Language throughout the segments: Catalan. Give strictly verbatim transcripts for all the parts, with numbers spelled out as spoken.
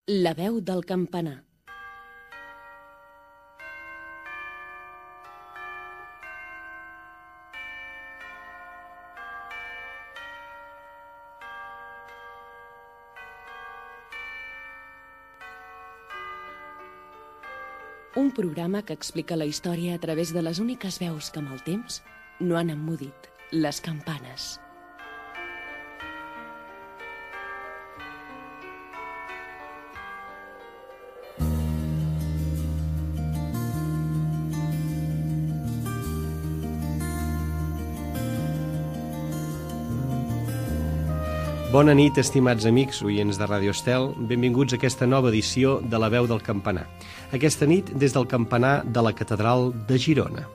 La veu del campanar. Un programa que explica la història a través de les úniques veus que amb el temps no han emmudit, les campanes. Bona nit, estimats amics, oients de Ràdio Estel. Benvinguts a aquesta nova edició de La veu del campanar. Aquesta nit des del campanar de la Catedral de Girona.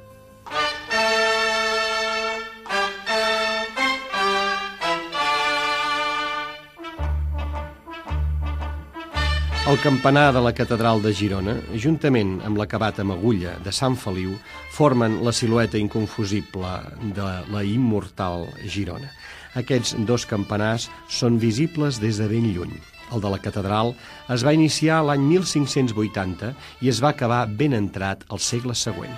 El campanar de la Catedral de Girona, juntament amb l'acabat amb agulla de Sant Feliu, formen la silueta inconfusible de la immortal Girona. Aquests dos campanars són visibles des de ben lluny. El de la catedral es va iniciar l'any mil cinc-cents vuitanta i es va acabar ben entrat al segle següent.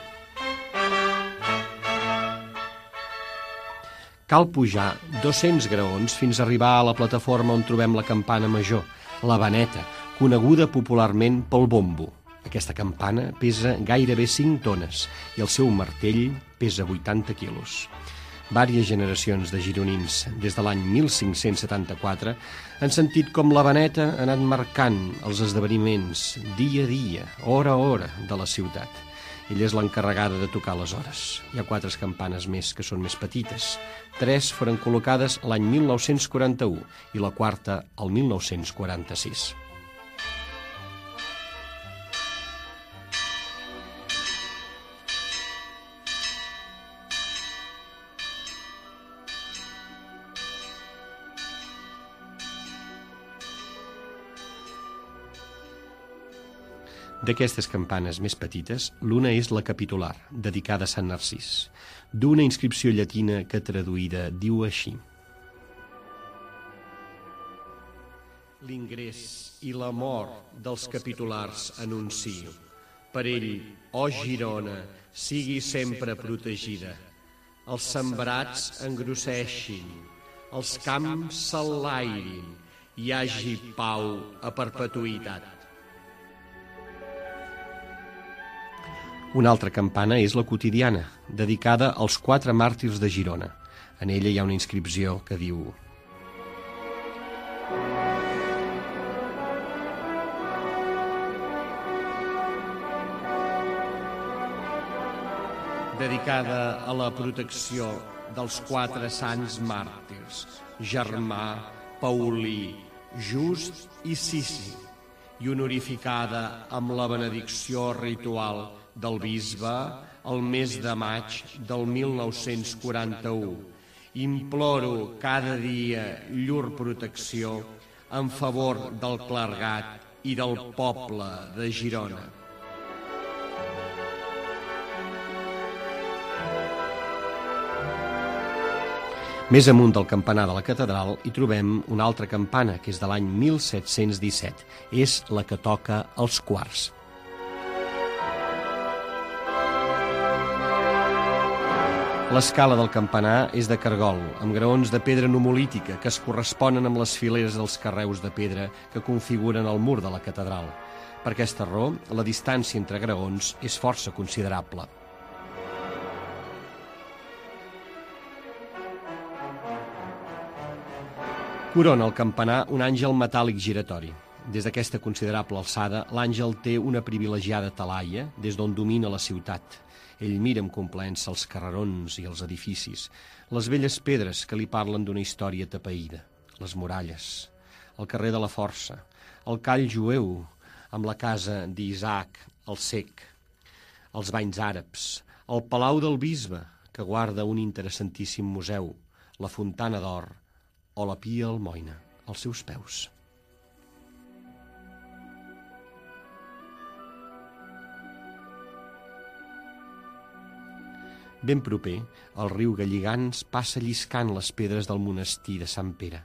Cal pujar dos-cents graons fins a arribar a la plataforma on trobem la campana major, la Vaneta, coneguda popularment pel bombo. Aquesta campana pesa gairebé cinc tones i el seu martell pesa vuitanta quilos. Vàries generacions de gironins, des de l'any mil cinc-cents setanta-quatre, han sentit com la Vaneta ha anat marcant els esdeveniments dia a dia, hora a hora de la ciutat. Ella és l'encarregada de tocar les hores. Hi ha quatre campanes més que són més petites. Tres foren col·locades l'any mil nou-cents quaranta-u i la quarta el mil nou-cents quaranta-sis. D'aquestes campanes més petites, l'una és la capitular, dedicada a Sant Narcís, d'una inscripció llatina que traduïda diu així: L'ingrés i la mort dels capitulars anuncio. Per ell, ó Girona, sigui sempre protegida. Els sembrats engrosseixin, els camps s'enlairin, hi hagi pau a perpetuïtat. Una altra campana és la quotidiana, dedicada als quatre màrtirs de Girona. En ella hi ha una inscripció que diu: dedicada a la protecció dels quatre sants màrtirs, Germà, Paulí, Just i Cici, i honorificada amb la benedicció ritual del bisbe el mes de maig del mil nou-cents quaranta-u. Imploro cada dia llur protecció en favor del clergat i del poble de Girona. Més amunt del campanar de la catedral hi trobem una altra campana, que és de l'any mil set-cents disset. És la que toca els quarts. L'escala del campanar és de cargol, amb graons de pedra numolítica que es corresponen amb les fileres dels carreus de pedra que configuren el mur de la catedral. Per aquesta raó, la distància entre graons és força considerable. Corona el campanar un àngel metàl·lic giratori. Des d'aquesta considerable alçada, l'àngel té una privilegiada talaia des d'on domina la ciutat. Ell mira amb complaença els carrerons i els edificis, les velles pedres que li parlen d'una història tapaïda, les muralles, el carrer de la Força, el call jueu amb la casa d'Isaac el Cec, els banys àrabs, el palau del bisbe, que guarda un interessantíssim museu, la Fontana d'Or o la Pia Almoina als seus peus. Ben proper, el riu Galligants passa lliscant les pedres del monestir de Sant Pere.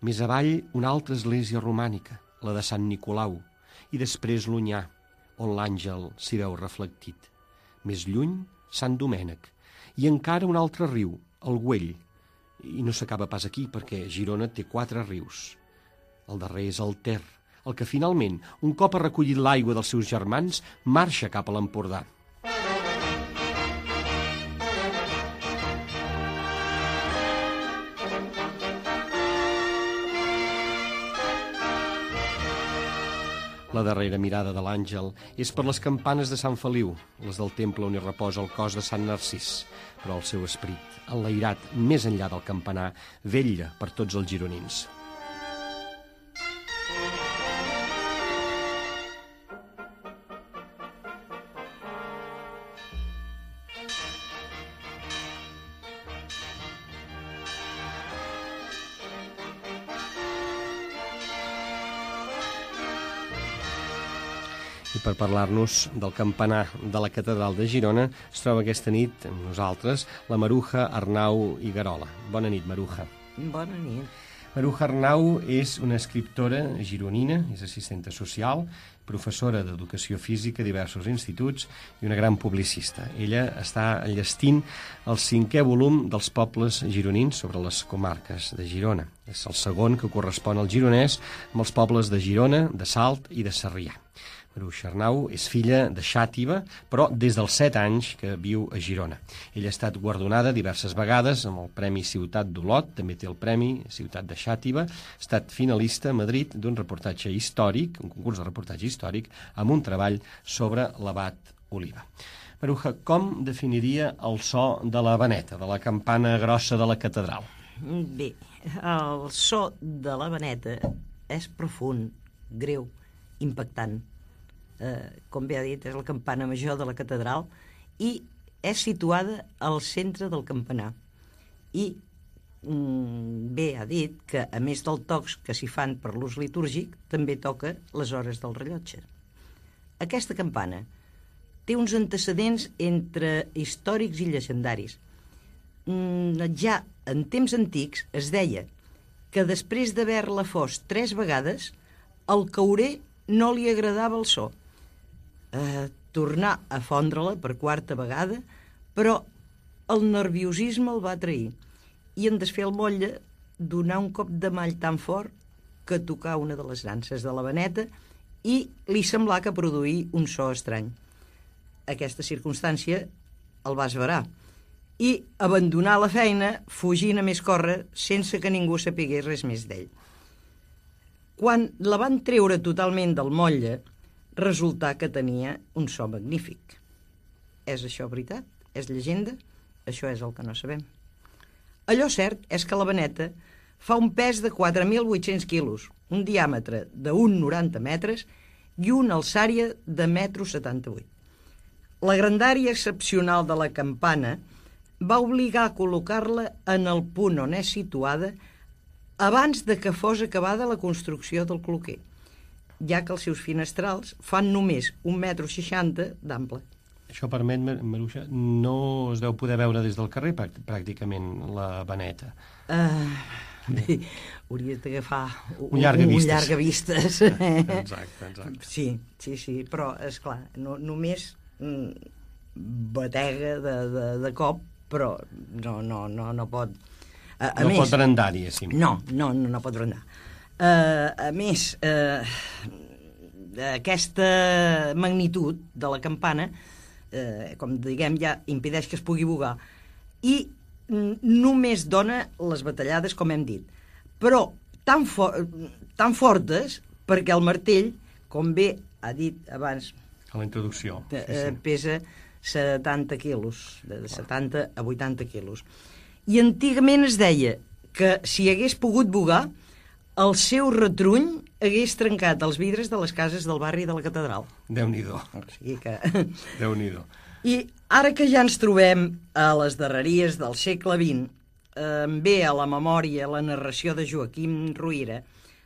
Més avall, una altra església romànica, la de Sant Nicolau, i després l'Onyar, on l'àngel s'hi veu reflectit. Més lluny, Sant Domènec, i encara un altre riu, el Güell. I no s'acaba pas aquí, perquè Girona té quatre rius. El darrer és el Ter, el que finalment, un cop ha recollit l'aigua dels seus germans, marxa cap a l'Empordà. La darrera mirada de l'àngel és per les campanes de Sant Feliu, les del temple on hi reposa el cos de Sant Narcís, però el seu esperit, enlairat més enllà del campanar, vetlla per tots els gironins. I per parlar-nos del campanar de la catedral de Girona es troba aquesta nit amb nosaltres la Maruja Arnau i Garola. Bona nit, Maruja. Bona nit. Maruja Arnau és una escriptora gironina, és assistenta social, professora d'educació física a diversos instituts i una gran publicista. Ella està enllestint el cinquè volum dels pobles gironins sobre les comarques de Girona. És el segon que correspon al gironès amb els pobles de Girona, de Salt i de Sarrià. Maruja Arnau és filla de Xàtiva, però des dels set anys que viu a Girona. Ella ha estat guardonada diverses vegades amb el Premi Ciutat d'Olot, també té el Premi Ciutat de Xàtiva, ha estat finalista a Madrid d'un reportatge històric, un concurs de reportatge històric, amb un treball sobre l'abat Oliva. Maruja, com definiria el so de la vaneta, de la campana grossa de la catedral? Bé, el so de la vaneta és profund, greu, impactant. Eh, com bé ha dit, és la campana major de la catedral i és situada al centre del campanar. I mm, bé ha dit que, a més dels tocs que s'hi fan per l'ús litúrgic, també toca les hores del rellotge. Aquesta campana té uns antecedents entre històrics i llegendaris. Mm, ja en temps antics es deia que després d'haver-la fos tres vegades, al caurer no li agradava el so. Eh, tornar a fondre-la per quarta vegada, però el nerviosisme el va trair i en desfer el motlle donar un cop de mall tan fort que tocar una de les nanses de la vaneta i li semblà que produir un so estrany. Aquesta circumstància el va esverar i abandonar la feina fugint a més córrer sense que ningú sapigués res més d'ell. Quan la van treure totalment del motlle, resultà que tenia un so magnífic. És això veritat? És llegenda? Això és el que no sabem. Allò cert és que la vaneta fa un pes de quatre mil vuit-cents quilos, un diàmetre d'un coma noranta metres i una alçària de un coma setanta-vuit metres. La grandària excepcional de la campana va obligar a col·locar-la en el punt on és situada abans de que fos acabada la construcció del cloquer, ja que els seus finestrals fan només un metro seixanta d'ample. Això permet, Maruja, no es deu poder veure des del carrer pràcticament la vaneta. Uh, bé, hauries d'agafar un, un llargavistes. Un llargavistes. Exacte, exacte. Sí, sí, sí, però, esclar, no, només mm, batega de, de, de cop, però no, no, no, no pot... A, a no més, pot brandar, diguéssim. No, no, no, no pot brandar. Uh, a més, uh, aquesta magnitud de la campana, uh, com diguem, ja impedeix que es pugui bugar i només dona les batallades, com hem dit, però tan, for tan fortes perquè el martell, com bé ha dit abans, a la introducció, sí, sí. pesa setanta quilos, de setanta a vuitanta quilos. I antigament es deia que si hagués pogut bugar, el seu retruny hagués trencat els vidres de les cases del barri de la catedral. Déu-n'hi-do. O sigui que... Déu-n'hi-do. I ara que ja ens trobem a les darreries del segle vint, eh, ve a la memòria la narració de Joaquim Ruyra,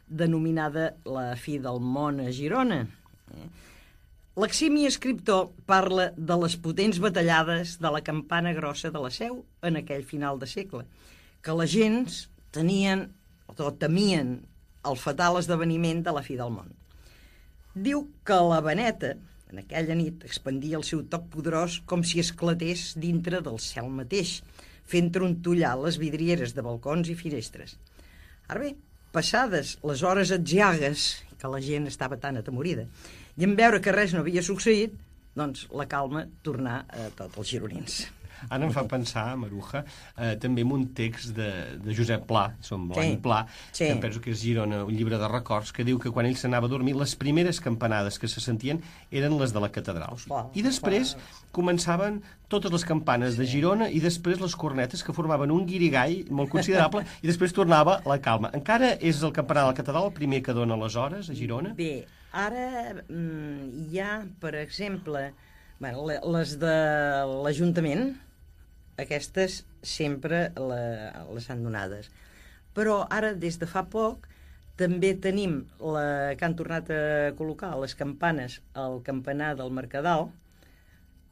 denominada La fi del món a Girona. L'eximi escriptor parla de les potents batallades de la campana grossa de la Seu en aquell final de segle, que les gents tenien o temien el fatal esdeveniment de la fi del món. Diu que la Beneta, en aquella nit, expandia el seu toc poderós com si esclatés dintre del cel mateix, fent trontollar les vidrieres de balcons i finestres. Ara bé, passades les hores atziagues, que la gent estava tan atemorida, i en veure que res no havia succeït, doncs la calma tornà a tots els gironins. Ara em fa pensar, Maruja, eh, també en un text de, de Josep Pla, som l'any Sí, Pla, sí. que em penso que és Girona, un llibre de records, que diu que quan ell s'anava a dormir, les primeres campanades que se sentien eren les de la catedral. Clar, I després començaven totes les campanes de Girona i després les cornetes, que formaven un guirigall molt considerable, i després tornava la calma. Encara és el campanar de la catedral el primer que dona les hores a Girona? Bé, ara mm, hi ha, per exemple, bueno, le- les de l'Ajuntament, aquestes sempre la, les han donades. Però ara, des de fa poc, també tenim la que han tornat a col·locar les campanes al campanar del Mercadal,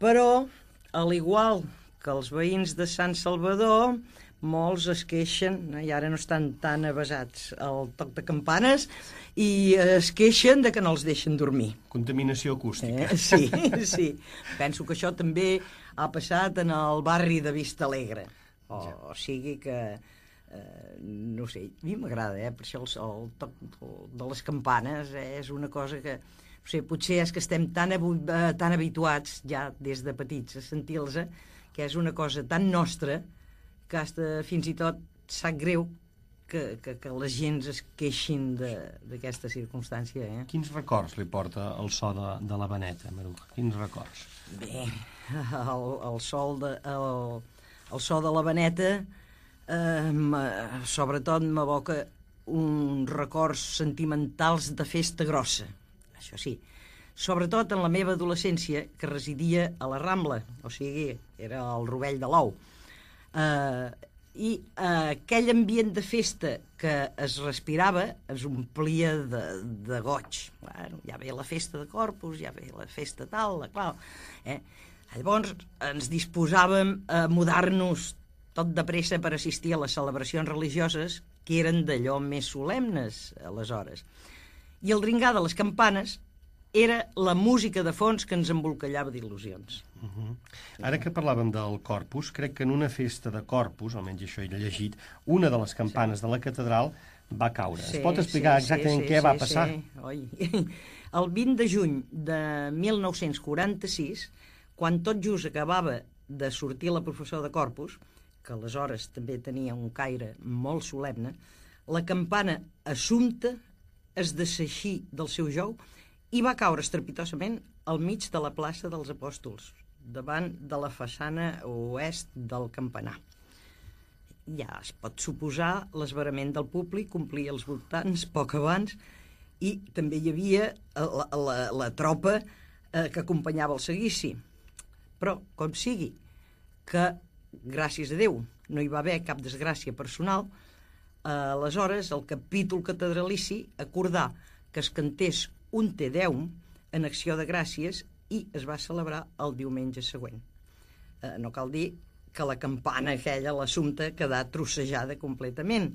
però, al igual que els veïns de Sant Salvador, molts es queixen, eh, i ara no estan tan avesats al toc de campanes, i es queixen de que no els deixen dormir. Contaminació acústica. Eh? Sí, sí. Penso que això també ha passat en el barri de Vista Alegre. O, o sigui que, eh, no sé, a mi m'agrada, eh? Per això el, el toc de les campanes eh, és una cosa que, no sé, potser és que estem tan, abu, eh, tan habituats ja des de petits a sentir-los, eh, que és una cosa tan nostra que hasta fins i tot sap greu que, que, que la gent es queixin d'aquesta circumstància. Eh? Quins records li porta el so de, de la Beneta, Maruja? Quins records? Bé, el, el, sol de, el, el so de la Beneta eh, ma, sobretot m'evoca uns records sentimentals de festa grossa, això sí, sobretot en la meva adolescència, que residia a la Rambla, o sigui, era el Rovell de l'Ou. Eh, i eh, aquell ambient de festa que es respirava es omplia de, de goig. Bueno, ja ve la festa de Corpus, ja ve la festa tal, la qual... Eh? Llavors ens disposàvem a mudar-nos tot de pressa per assistir a les celebracions religioses que eren d'allò més solemnes aleshores. I el dringar de les campanes era la música de fons que ens embolcallava d'il·lusions. Uh -huh. Ara que parlàvem del Corpus, crec que en una festa de Corpus, almenys això he llegit, una de les campanes sí. de la catedral va caure. Sí, es pot explicar sí, exactament sí, què sí, va passar? Sí. Oi. El vint de juny de mil nou-cents quaranta-sis, quan tot just acabava de sortir la professora de Corpus, que aleshores també tenia un caire molt solemne, la campana Assumpta es deseixí del seu jou i va caure estrepitosament al mig de la plaça dels Apòstols, davant de la façana oest del campanar. Ja es pot suposar l'esverament del públic, complia els voltants poc abans, i també hi havia la, la, la tropa eh, que acompanyava el seguici. Però, com sigui, que, gràcies a Déu, no hi va haver cap desgràcia personal, eh, aleshores el capítol catedralici acordà que es cantés un Te Deum en acció de gràcies i es va celebrar el diumenge següent. Eh, no cal dir que la campana aquella, l'Assumpta, quedà trossejada completament.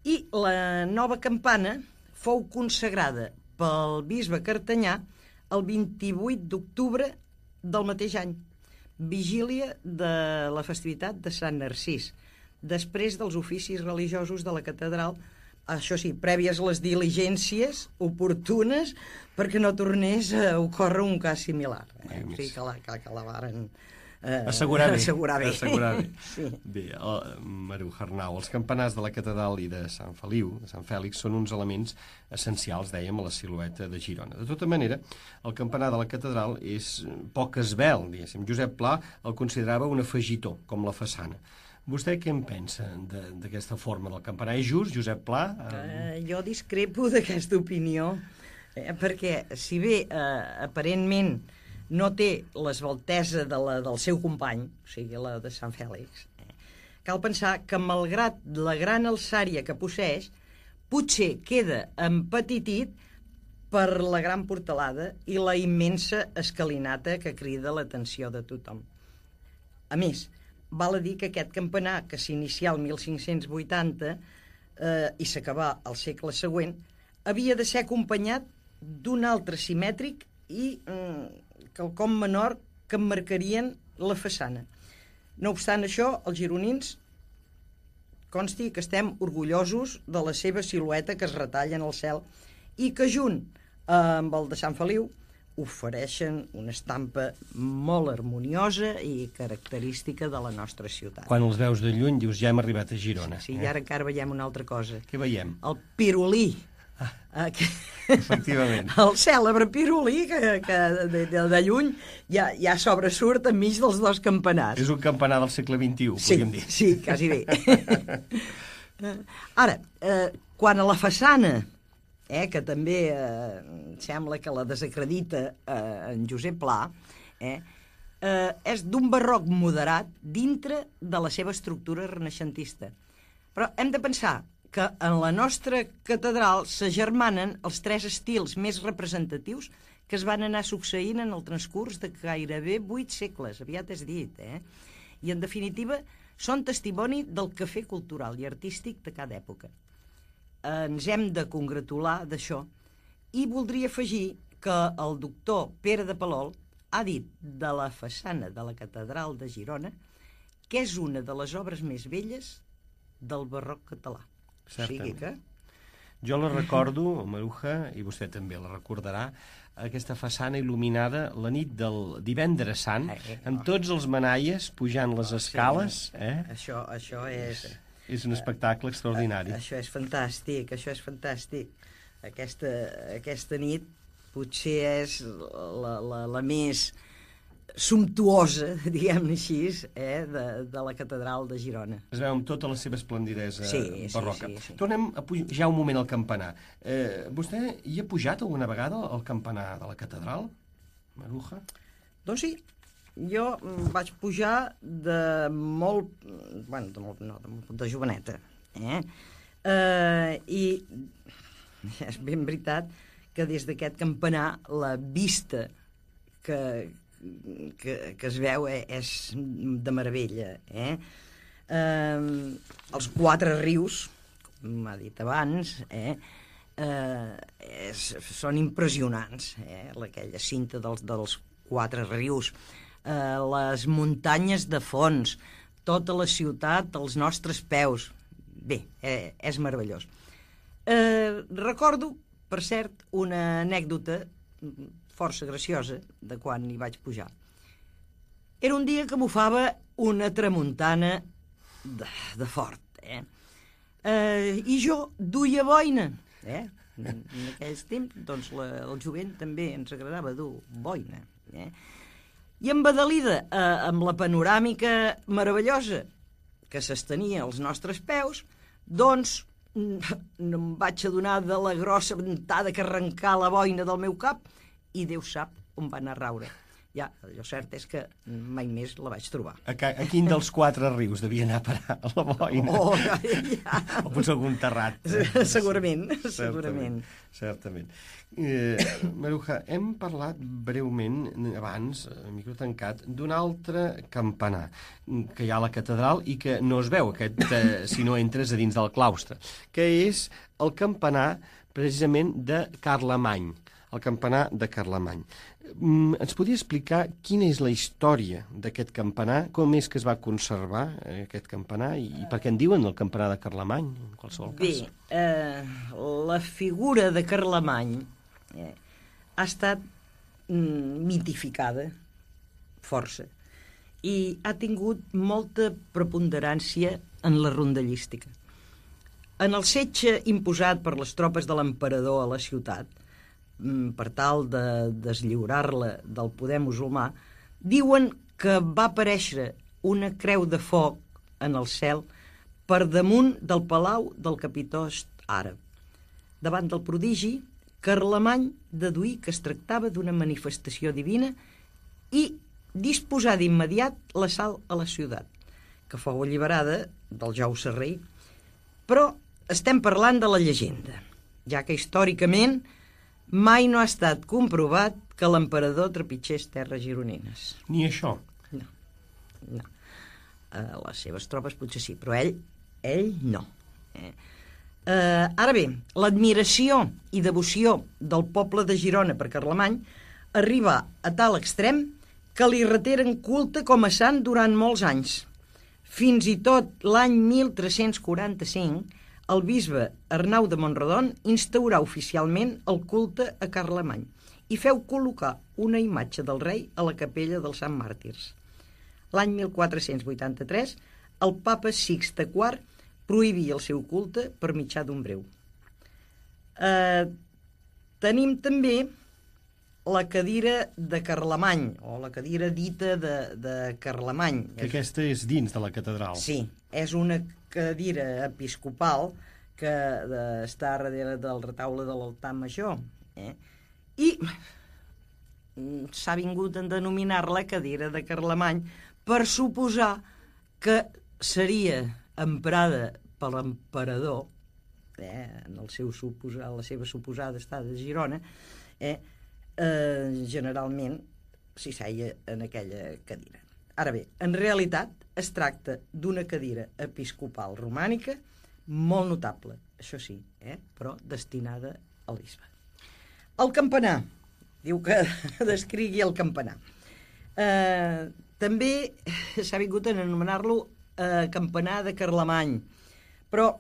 I la nova campana fou consagrada pel bisbe Cartanyà el vint-i-vuit d'octubre del mateix any, vigília de la festivitat de Sant Narcís, després dels oficis religiosos de la catedral, això sí, prèvies les diligències oportunes perquè no tornés a ocórrer un cas similar. Eh? O sigui que la, que, que la varen eh, assegurar bé. Assegurar bé. Assegurar bé. Sí. Bé, el, Maruja Arnau, els campanars de la catedral i de Sant Feliu, de Sant Fèlix, són uns elements essencials, dèiem, a la silueta de Girona. De tota manera, el campanar de la catedral és poc esvelt, diguéssim. Josep Pla el considerava un afegitó, com la façana. Vostè què en pensa d'aquesta forma del campanar? És just, Josep Pla? Uh, jo discrepo d'aquesta opinió, eh, perquè si bé eh, aparentment no té l'esveltesa de la, del seu company, o sigui, la de Sant Fèlix, eh, cal pensar que malgrat la gran alçària que posseix, potser queda empetitit per la gran portalada i la immensa escalinata que crida l'atenció de tothom. A més, val a dir que aquest campanar, que s'inicia el mil cinc-cents vuitanta, eh, i s'acabà al segle següent, havia de ser acompanyat d'un altre simètric i mm, quelcom menor que emmarcarien la façana. No obstant això, els gironins consti que estem orgullosos de la seva silueta que es retalla en el cel i que junt amb el de Sant Feliu ofereixen una estampa molt harmoniosa i característica de la nostra ciutat. Quan els veus de lluny dius ja hem arribat a Girona. Sí, eh? i ara encara veiem una altra cosa. Què veiem? El pirulí. Ah, que... efectivament. El cèlebre pirulí que, que de, de, de lluny ja, ja sobresurt enmig dels dos campanars. És un campanar del segle vint-i-u, sí, podríem dir. Sí, quasi bé. Ara, eh, quan a la façana, eh, que també eh, sembla que la desacredita eh, en Josep Pla, eh, eh, és d'un barroc moderat dintre de la seva estructura renaixentista. Però hem de pensar que en la nostra catedral s'agermanen els tres estils més representatius que es van anar succeint en el transcurs de gairebé vuit segles, aviat és dit, eh? I en definitiva són testimoni del quefer cultural i artístic de cada època. Ens hem de congratular d'això i voldria afegir que el doctor Pere de Palol ha dit de la façana de la catedral de Girona que és una de les obres més velles del barroc català. O sigui que... Jo la recordo, Maruja, i vostè també la recordarà, aquesta façana il·luminada la nit del divendres sant, amb tots els manaies pujant les escales. Eh? Això, això és... És un espectacle extraordinari. Això és fantàstic, això és fantàstic. Aquesta, aquesta nit potser és la, la, la més sumptuosa, diguem-ne així, eh, de, de la catedral de Girona. Es veu amb tota la seva esplendidesa sí, barroca. Sí, sí, sí. Tornem a pujar un moment al campanar. Eh, vostè hi ha pujat alguna vegada al campanar de la catedral, Maruja? Doncs sí, jo vaig pujar de molt... Bueno, de molt, no, de, molt, de joveneta. Eh? Eh, I és ben veritat que des d'aquest campanar la vista que... Que, que es veu eh, és de meravella. Eh? Eh, els quatre rius, com m'ha dit abans, eh, eh, és, són impressionants. Eh? Aquella cinta dels, dels quatre rius, eh, les muntanyes de fons, tota la ciutat als nostres peus. Bé, eh, és meravellós. Eh, recordo, per cert, una anècdota força graciosa de quan hi vaig pujar. Era un dia que bufava una tramuntana de, de fort, eh? Eh, I jo duia boina, eh? En, en aquells temps, doncs, la, el jovent també ens agradava dur boina, eh? I embadalida eh, amb la panoràmica meravellosa que s'estenia als nostres peus, doncs no em vaig adonar de la grossa ventada que arrencà la boina del meu cap i Déu sap on va anar a raure. Ja, allò cert és que mai més la vaig trobar. A, ca, a quin dels quatre rius devia anar a parar a la boina? Oh, ja, ja. O potser algun terrat. Segurament, Certament. segurament. Certament. Eh, Maruja, hem parlat breument abans, a micro tancat, d'un altre campanar que hi ha a la catedral i que no es veu aquest, eh, si no entres a dins del claustre, que és el campanar precisament de Carlemany. El campanar de Carlemany. Mm, ens podria explicar quina és la història d'aquest campanar, com és que es va conservar eh, aquest campanar i, i per què en diuen el campanar de Carlemany, en qualsevol cas? Bé, eh, la figura de Carlemany eh, ha estat mm, mitificada força i ha tingut molta preponderància en la rondallística. En el setge imposat per les tropes de l'emperador a la ciutat, per tal de deslliurar-la del poder musulmà, diuen que va aparèixer una creu de foc en el cel per damunt del palau del capitost àrab. Davant del prodigi, Carlemany deduí que es tractava d'una manifestació divina i disposà d'immediat l'assalt a la ciutat, que fou alliberada del jou sarraí. Però estem parlant de la llegenda, ja que històricament mai no ha estat comprovat que l'emperador trepitgés terres gironines. Ni això? No, no. Uh, les seves tropes potser sí, però ell, ell no. Eh? Eh, ara bé, l'admiració i devoció del poble de Girona per Carlemany arriba a tal extrem que li reteren culte com a sant durant molts anys. Fins i tot l'any mil tres-cents quaranta-cinc, el bisbe Arnau de Mont-rodon instaurà oficialment el culte a Carlemany i feu col·locar una imatge del rei a la capella dels Sant Màrtirs. L'any mil quatre-cents vuitanta-tres, el papa Sixte quart prohibia el seu culte per mitjà d'un breu. Eh, tenim també la cadira de Carlemany, o la cadira dita de, de Carlemany. Que aquesta és dins de la catedral. Sí, és una cadira episcopal que de, està darrere del retaule de l'altar major. Eh? I s'ha vingut a denominar-la cadira de Carlemany per suposar que seria emprada per l'emperador, eh, en el seu suposar, la seva suposada estada a Girona, eh, eh, generalment s'hi seia en aquella cadira. Ara bé, en realitat es tracta d'una cadira episcopal romànica molt notable, això sí, eh, però destinada al bisbe. El campanar, diu que descrigui el campanar. Eh, també s'ha vingut a anomenar-lo eh, campanar de Carlemany, però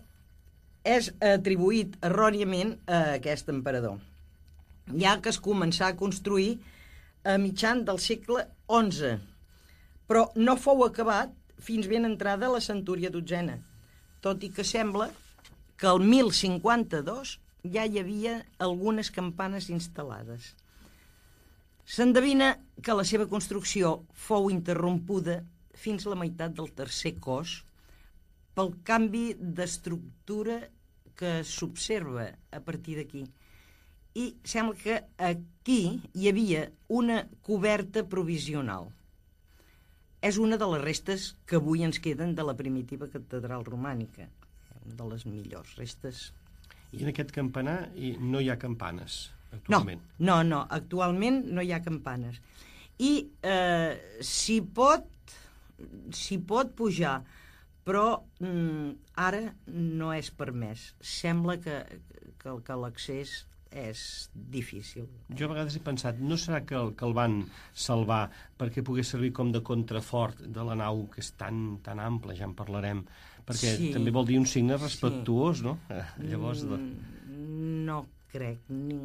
és atribuït erròniament a aquest emperador, ja que es començà a construir a mitjan del segle onze, però no fou acabat fins ben entrada la centúria dotzena, tot i que sembla que el mil cinquanta-dos ja hi havia algunes campanes instal·lades. S'endevina que la seva construcció fou interrompuda fins la meitat del tercer cos pel canvi d'estructura que s'observa a partir d'aquí. I sembla que aquí hi havia una coberta provisional. És una de les restes que avui ens queden de la primitiva catedral romànica, una de les millors restes. I en aquest campanar no hi ha campanes, actualment? No, no, no, actualment no hi ha campanes. I eh, s'hi pot, s'hi pot pujar, però mm, ara no és permès. Sembla que, que, que l'accés és difícil. Jo a vegades he pensat, no serà que el, que el van salvar perquè pogués servir com de contrafort de la nau, que és tan, tan ample, ja en parlarem, perquè sí, també vol dir un signe respectuós, sí, no? Eh, llavors... De... No crec, Ning,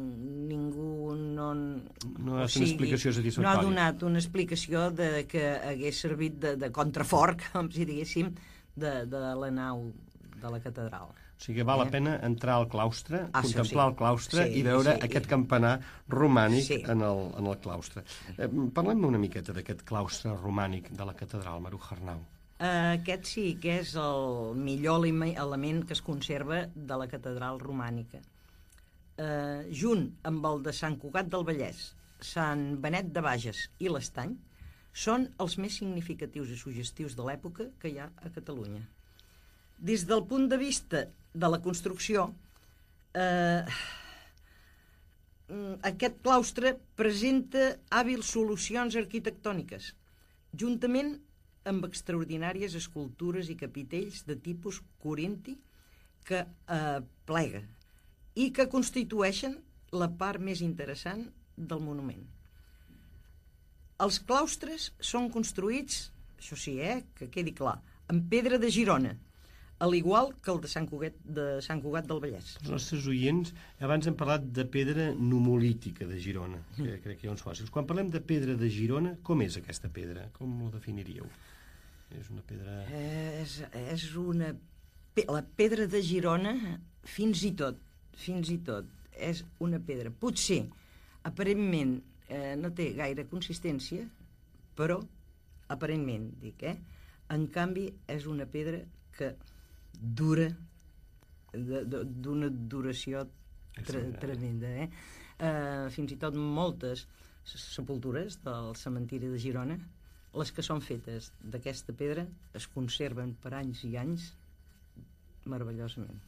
ningú no... No ha estat una explicació satisfactòria. No ha donat una explicació de que hagués servit de, de contrafort, com si diguéssim, de, de la nau de la catedral. O sigui que val la pena entrar al claustre, ah, contemplar sí. el claustre sí, i veure sí, aquest i... campanar romànic sí. en, el, en el claustre. Eh, Parlem una miqueta d'aquest claustre romànic de la catedral, Maruja Arnau. Uh, aquest sí que és el millor element que es conserva de la catedral romànica. Uh, junt amb el de Sant Cugat del Vallès, Sant Benet de Bages i l'Estany, són els més significatius i suggestius de l'època que hi ha a Catalunya. Des del punt de vista de la construcció, eh, aquest claustre presenta hàbils solucions arquitectòniques, juntament amb extraordinàries escultures i capitells de tipus corinti que eh, plega i que constitueixen la part més interessant del monument. Els claustres són construïts, això sí, eh, que quedi clar, amb pedra de Girona, al igual que el de Sant Cugat, de Sant Cugat del Vallès. Els nostres oients, abans hem parlat de pedra numolítica de Girona, que crec que hi ha uns fòssils. Quan parlem de pedra de Girona, com és aquesta pedra? Com ho definiríeu? És una pedra... És, és una... La pedra de Girona, fins i tot, fins i tot, és una pedra. Potser, aparentment, eh, no té gaire consistència, però, aparentment, dic, eh? En canvi, és una pedra que dura, d'una duració tre tremenda. Eh? Eh, fins i tot moltes sepultures del cementiri de Girona, les que són fetes d'aquesta pedra, es conserven per anys i anys meravellosament.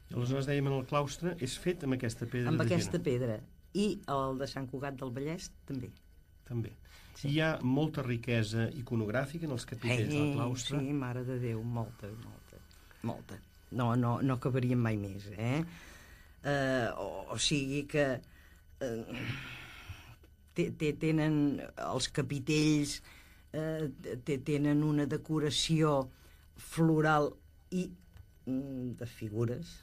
I aleshores dèiem en el claustre, és fet amb aquesta pedra amb de Girona. Amb aquesta pedra. I el de Sant Cugat del Vallès, també. També. Sí. Hi ha molta riquesa iconogràfica en els capitells hey, del claustre. Sí, mare de Déu, molta, molta, molta. no, no, no acabarien mai més, eh? eh o, o sigui que eh, tenen els capitells, eh, tenen una decoració floral i de figures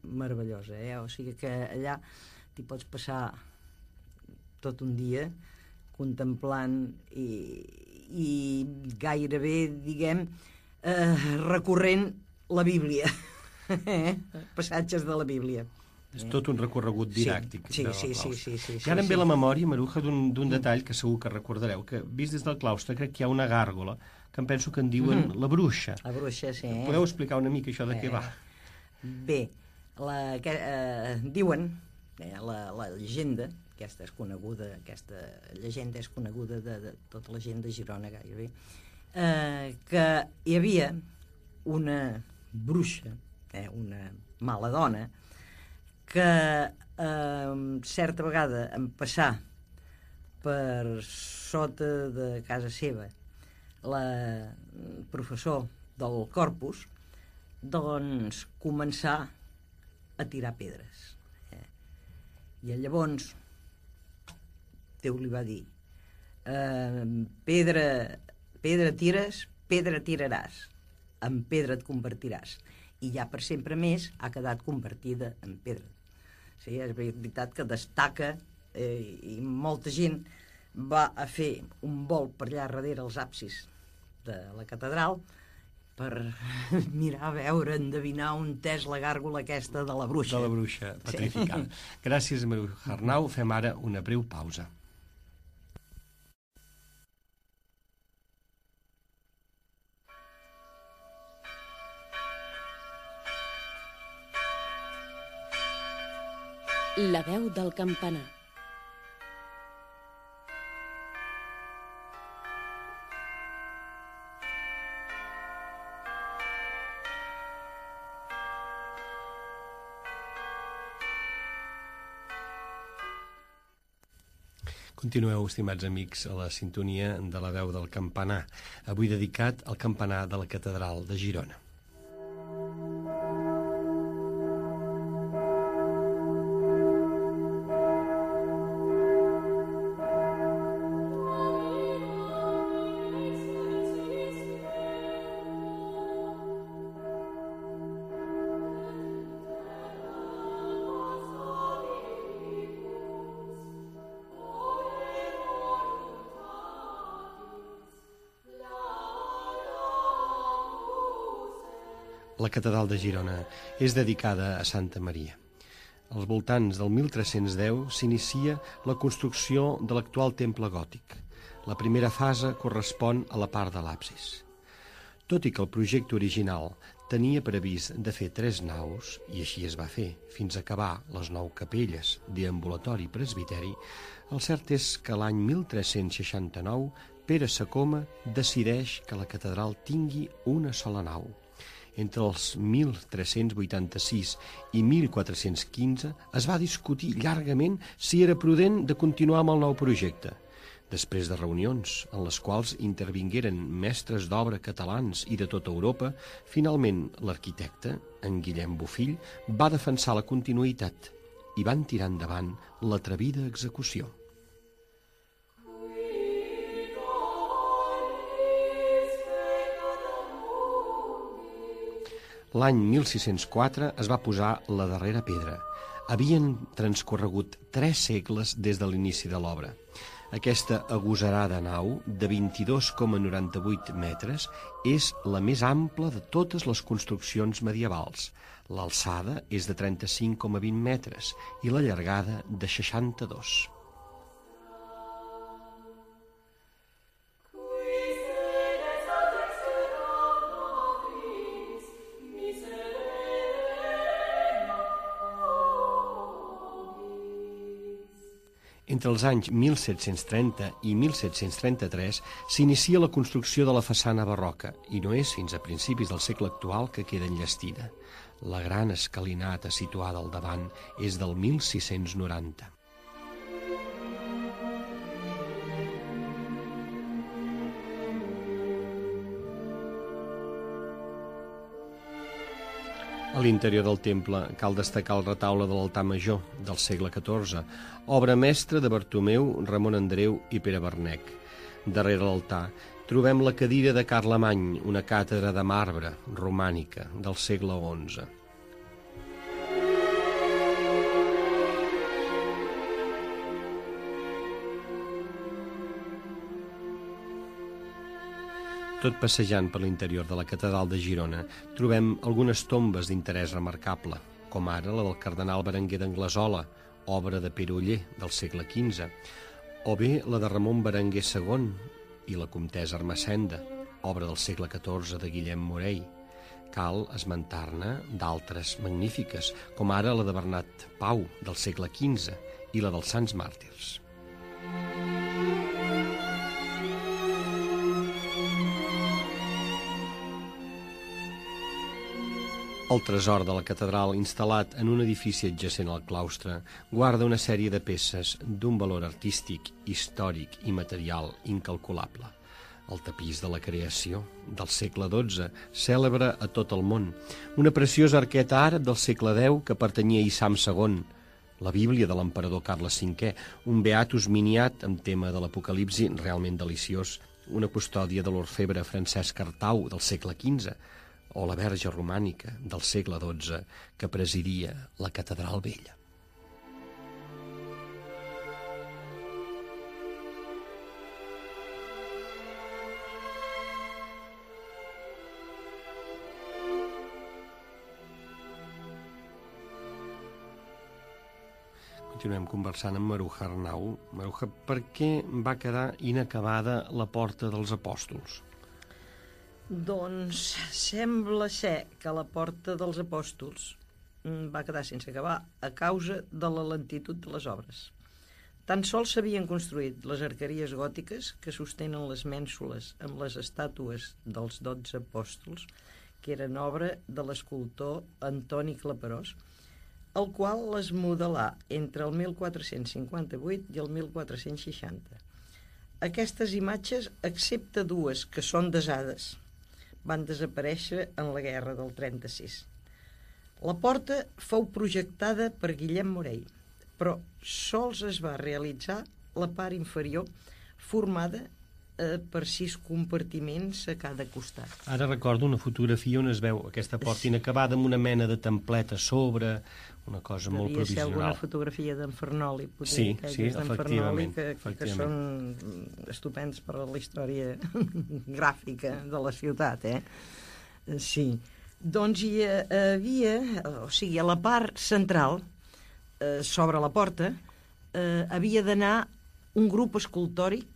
meravellosa, eh? O sigui que allà t'hi pots passar tot un dia contemplant i, i gairebé, diguem, eh, recorrent la Bíblia, eh? Passatges de la Bíblia. És tot un recorregut didàctic. Sí, sí, sí, sí, sí, sí, I ara em ve sí. la memòria, Maruja, d'un detall que segur que recordareu, que vist des del claustre crec que hi ha una gàrgola que em penso que en diuen mm. la bruixa. La bruixa, sí. Eh? Podeu explicar una mica això de eh. què va? Bé, la, que, eh, diuen, eh, la, la llegenda, aquesta és coneguda, aquesta llegenda és coneguda de, de tota la gent de Girona gairebé, eh, que hi havia una bruixa, eh, una mala dona, que eh, certa vegada en passar per sota de casa seva la professor del corpus, doncs començar a tirar pedres. Eh? I llavors Déu li va dir eh, pedra, pedra tires, pedra tiraràs, en pedra et convertiràs. I ja per sempre més ha quedat convertida en pedra. Sí, és veritat que destaca eh, i molta gent va a fer un volt per allà darrere els absis de la catedral per mirar, veure, endevinar on és la gàrgola aquesta de la bruixa. De la bruixa petrificada. Sí. Gràcies, Maruja Arnau. Fem ara una breu pausa. La veu del campanar. Continueu, estimats amics, a la sintonia de la veu del campanar, avui dedicat al campanar de la Catedral de Girona. La catedral de Girona és dedicada a Santa Maria. Als voltants del mil tres-cents deu s'inicia la construcció de l'actual temple gòtic. La primera fase correspon a la part de l'absis. Tot i que el projecte original tenia previst de fer tres naus, i així es va fer, fins a acabar les nou capelles, deambulatori i presbiteri, el cert és que l'any mil tres-cents seixanta-nou Pere Sacoma decideix que la catedral tingui una sola nau. Entre els mil tres-cents vuitanta-sis i mil quatre-cents quinze es va discutir llargament si era prudent de continuar amb el nou projecte. Després de reunions en les quals intervingueren mestres d'obra catalans i de tota Europa, finalment l'arquitecte, en Guillem Bofill, va defensar la continuïtat i van tirar endavant l'atrevida execució. L'any mil sis-cents quatre es va posar la darrera pedra. Havien transcorregut tres segles des de l'inici de l'obra. Aquesta agosarada nau, de vint-i-dos coma noranta-vuit metres, és la més ampla de totes les construccions medievals. L'alçada és de trenta-cinc coma vint metres i la llargada de seixanta-dos. Entre els anys mil set-cents trenta i mil set-cents trenta-tres s'inicia la construcció de la façana barroca i no és fins a principis del segle actual que queda enllestida. La gran escalinata situada al davant és del mil sis-cents noranta. A l'interior del temple cal destacar el retaule de l'altar major del segle catorze, obra mestra de Bartomeu, Ramon Andreu i Pere Bernec. Darrere l'altar trobem la cadira de Carlemany, una càtedra de marbre romànica del segle onze. Tot passejant per l'interior de la catedral de Girona trobem algunes tombes d'interès remarcable, com ara la del cardenal Berenguer d'Anglesola, obra de Pere Oller del segle quinze, o bé la de Ramon Berenguer segon i la comtessa Ermessenda, obra del segle catorze de Guillem Morell. Cal esmentar-ne d'altres magnífiques, com ara la de Bernat Pau del segle quinze i la dels Sants Màrtirs. El tresor de la catedral, instal·lat en un edifici adjacent al claustre, guarda una sèrie de peces d'un valor artístic, històric i material incalculable. El tapís de la creació, del segle dotze, cèlebre a tot el món. Una preciosa arqueta àrab del segle deu que pertanyia a Issam segon. La Bíblia de l'emperador Carles cinquè, un Beatus miniat amb tema de l'Apocalipsi realment deliciós, una custòdia de l'orfebre Francesc Artau del segle quinze, o la Verge romànica del segle dotze que presidia la Catedral Vella. Continuem conversant amb Maruja Arnau. Maruja, per què va quedar inacabada la Porta dels Apòstols? Doncs sembla ser que la Porta dels Apòstols va quedar sense acabar a causa de la lentitud de les obres. Tan sols s'havien construït les arqueries gòtiques que sostenen les mènsules amb les estàtues dels dotze apòstols, que eren obra de l'escultor Antoni Claperós, el qual les modelà entre el mil quatre-cents cinquanta-vuit i el mil quatre-cents seixanta. Aquestes imatges, excepte dues que són desades, van desaparèixer en la guerra del trenta-sis. La porta fou projectada per Guillem Morell, però sols es va realitzar la part inferior, formada eh, per sis compartiments a cada costat. Ara recordo una fotografia on es veu aquesta porta inacabada amb una mena de templet a sobre, una cosa Devia molt provisional. Devia ser alguna fotografia d'en Fernoli, potser, sí, aquelles sí, d'en efectivament, Fernoli, que, efectivament. que són estupends per a la història gràfica de la ciutat, eh? Sí. Doncs hi havia, o sigui, a la part central, eh, sobre la porta, eh, havia d'anar un grup escultòric,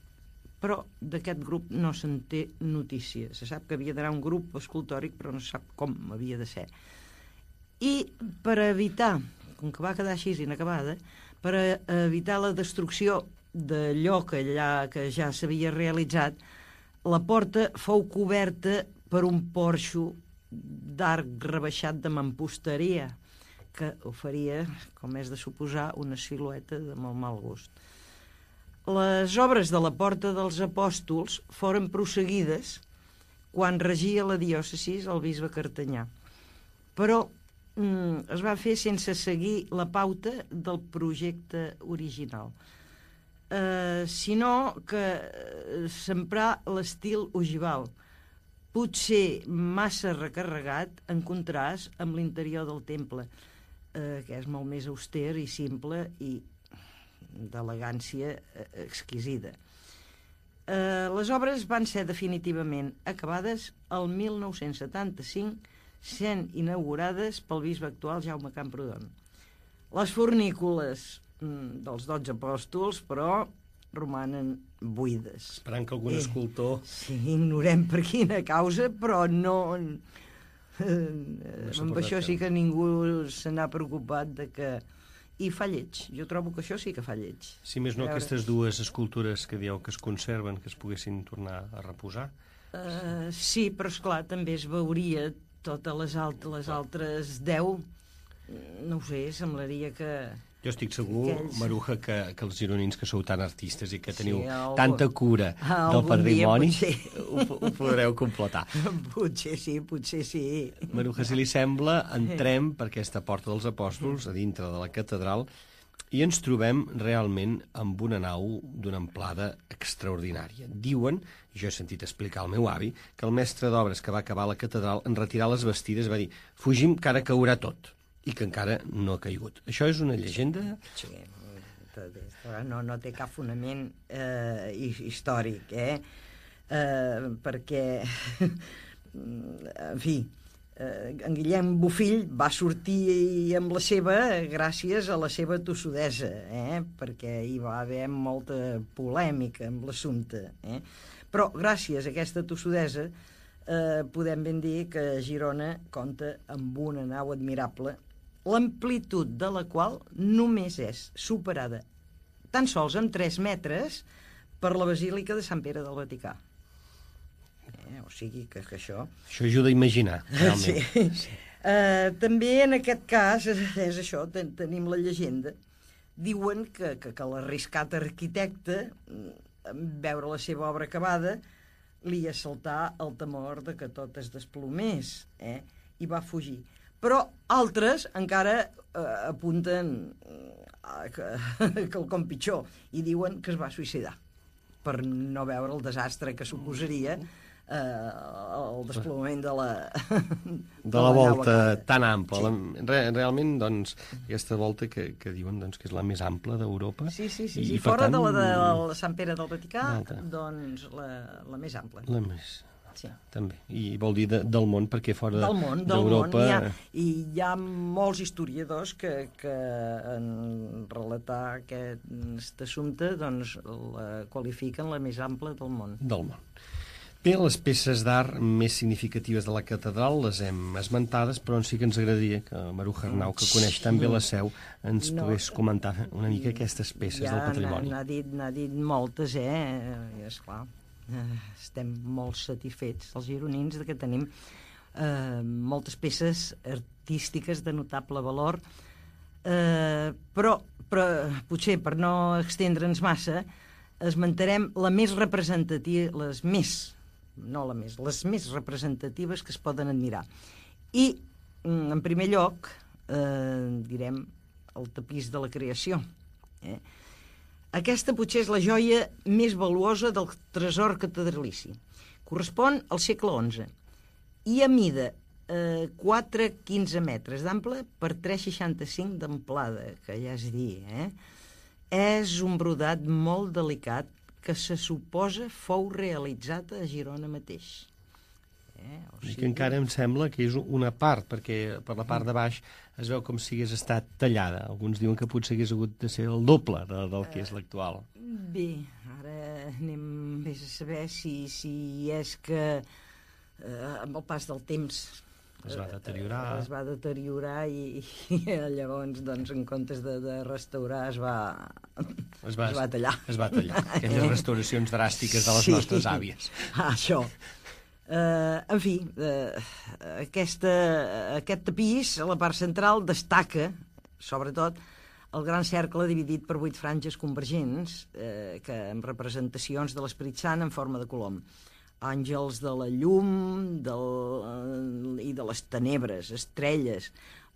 però d'aquest grup no se'n té notícia. Se sap que havia d'anar un grup escultòric, però no se sap com havia de ser. I per evitar, com que va quedar així inacabada, per evitar la destrucció d'allò que, allà, que ja s'havia realitzat, la porta fou coberta per un porxo d'arc rebaixat de mamposteria, que oferia, com és de suposar, una silueta de molt mal gust. Les obres de la Porta dels Apòstols foren prosseguides quan regia la diòcesi el bisbe Cartanyà, però mm, es va fer sense seguir la pauta del projecte original, eh, sinó que s'emprà l'estil ogival, potser massa recarregat en contrast amb l'interior del temple, eh, que és molt més auster i simple i d'elegància exquisida. Eh, les obres van ser definitivament acabades el mil nou-cents setanta-cinc, sent inaugurades pel bisbe actual Jaume Camprodon. Les fornícules mm, dels dotze apòstols, però, romanen buides. Esperant que algun escultor... Eh, sí, ignorem per quina causa, però no... Eh, no amb això sí que ningú se n'ha preocupat de que... I fa lleig. Jo trobo que això sí que fa lleig. Si més no, veure... aquestes dues escultures que dieu que es conserven, que es poguessin tornar a reposar. Uh, sí, però esclar, també es veuria totes les, alt les altres deu. No ho sé, semblaria que... Jo estic segur, Aquells... Maruja, que, que els gironins que sou tan artistes i que teniu Sí, algun... tanta cura del patrimoni, dia, ho, ho podreu completar. Potser sí, potser sí. Maruja, si li sembla, entrem per aquesta porta dels apòstols, a dintre de la catedral, i ens trobem realment amb una nau d'una amplada extraordinària. Diuen, jo he sentit explicar al meu avi, que el mestre d'obres que va acabar la catedral, en retirar les bastides, va dir: fugim, que ara caurà tot, i que encara no ha caigut. Això és una llegenda? Sí, no, no té cap fonament eh, històric, eh? eh perquè, en fi, eh, en Guillem Bofill va sortir amb la seva gràcies a la seva tossudesa, eh? Perquè hi va haver molta polèmica amb l'assumpte. Eh? Però gràcies a aquesta tossudesa eh, podem ben dir que Girona compta amb una nau admirable, l'amplitud de la qual només és superada tan sols en tres metres per la Basílica de Sant Pere del Vaticà. Eh, o sigui que, que això... Això ajuda a imaginar, realment. Sí. Sí. Uh, també en aquest cas, és això, ten tenim la llegenda. Diuen que, que, que l'arriscat arquitecte, en veure la seva obra acabada, li assaltà el temor de que tot es desplomés, eh? I va fugir. Però altres encara eh, apunten a que, quelcom pitjor i diuen que es va suïcidar per no veure el desastre que suposaria eh, el desplomament de la de, de la volta tan ampla. Sí. La, realment, doncs, aquesta volta que, que diuen doncs, que és la més ampla d'Europa. Sí, sí, sí. I, sí. i Fora tant, de la de la Sant Pere del Vaticà, l'altra. Doncs la, la més ampla. La més... Sí. També. I vol dir de, del món, perquè fora d'Europa... Del món, del món. Hi ha, I hi ha molts historiadors que, que en relatar aquest assumpte doncs, la qualifiquen la més ampla del món. Del món. Bé, les peces d'art més significatives de la catedral les hem esmentades, però sí que ens agradaria que Maruja Arnau, que coneix tan bé la seu, ens no, pogués comentar una mica aquestes peces ja del patrimoni. N'ha dit, n'ha dit moltes, eh? Esclar. Estem molt satisfets, els gironins, de que tenim eh, moltes peces artístiques de notable valor, eh, però, però potser per no extendre'ns massa esmentarem la més representativa, les més, no la més, les més representatives que es poden admirar. I, en primer lloc, eh, direm el tapís de la creació, eh? Aquesta potser és la joia més valuosa del tresor catedralici. Correspon al segle onze i a mida eh, quatre coma quinze metres d'ample per tres coma seixanta-cinc d'amplada, que ja és dir, eh? És un brodat molt delicat que se suposa fou realitzat a Girona mateix. Eh? O sigui... que encara em sembla que és una part, perquè per la part de baix es veu com si hagués estat tallada. Alguns diuen que potser hagués hagut de ser el doble de, del que és l'actual. Bé, ara anem més a saber si, si és que eh, amb el pas del temps es va deteriorar. Eh, es va deteriorar i, i llavors, doncs, en comptes de, de restaurar, es va, es va, es va tallar. Es va tallar. Aquelles restauracions dràstiques de les sí. nostres àvies. Ah, això. Uh, en fi, uh, aquesta, aquest tapís, a la part central, destaca, sobretot, el gran cercle dividit per vuit franges convergents, uh, que amb representacions de l'Esperit Sant en forma de colom. Àngels de la llum del, uh, i de les tenebres, estrelles,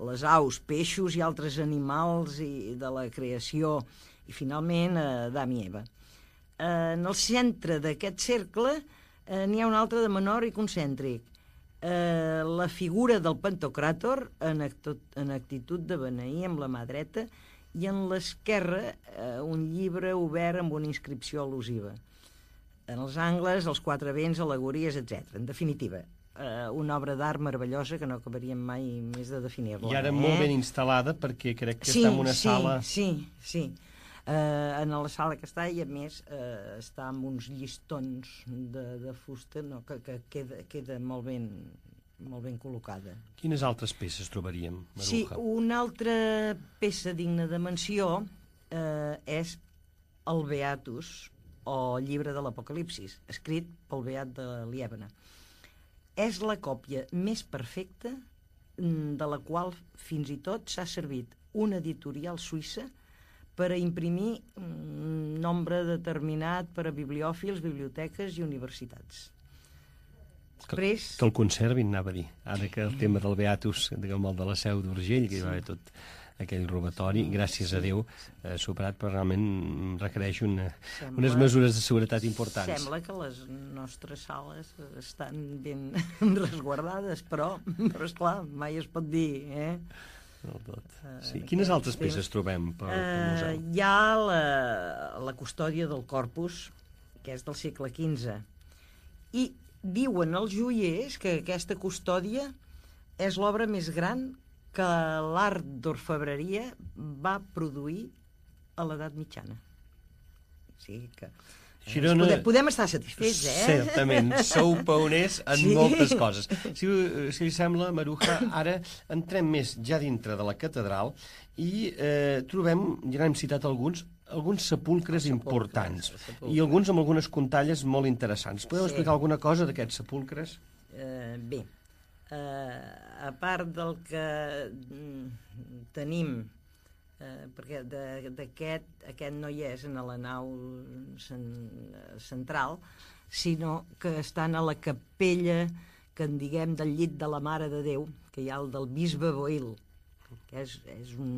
les aus, peixos i altres animals i de la creació, i finalment uh, Adam i Eva. Uh, en el centre d'aquest cercle Eh, n'hi ha un altre de menor i concèntric. Eh, la figura del Pantocràtor en, actot, en actitud de beneir amb la mà dreta i en l'esquerra eh, un llibre obert amb una inscripció al·lusiva. En els angles, els quatre vents, al·legories, etcètera. En definitiva, eh, una obra d'art meravellosa que no acabaríem mai més de definir-la. I ara eh? molt ben instal·lada perquè crec que sí, està en una sí, sala... Sí, sí, sí. Uh, en la sala que està i a més uh, està amb uns llistons de, de fusta no, que, que queda, queda molt ben molt ben col·locada. Quines altres peces trobaríem, Maruja? Sí, una altra peça digna de menció uh, és el Beatus o llibre de l'Apocalipsis, escrit pel Beat de Lièbana. És la còpia més perfecta de la qual fins i tot s'ha servit una editorial suïssa per a imprimir un nombre determinat per a bibliòfils, biblioteques i universitats. Després... Que, que el conservin, anava a dir. Ara que el tema del Beatus, diguem, el de la Seu d'Urgell, que hi va haver tot aquell robatori, gràcies a Déu, eh, superat, però realment requereix una, sembla, unes mesures de seguretat importants. Sembla que les nostres sales estan ben resguardades, però, però esclar, mai es pot dir, eh? Del tot. Sí. Quines altres peces trobem per, per museu? Uh, hi ha la, la custòdia del corpus, que és del segle quinze, i diuen els joiers que aquesta custòdia és l'obra més gran que l'art d'orfebreria va produir a l'edat mitjana. O sigui que... Girona... Podem, podem estar satisfets, eh? Certament, sou pioners en sí. moltes coses. Si, si li sembla, Maruja, ara entrem més ja dintre de la catedral i eh, trobem, ja n'hem citat alguns, alguns sepulcres, sepulcres importants sepulcres. I alguns amb algunes contalles molt interessants. Podeu sí. explicar alguna cosa d'aquests sepulcres? Uh, bé, uh, a part del que mm, tenim, Uh, perquè d'aquest aquest no hi és en la nau cen, central, sinó que estan a la capella que en diguem del llit de la Mare de Déu, que hi ha el del bisbe Boil, que és, és un,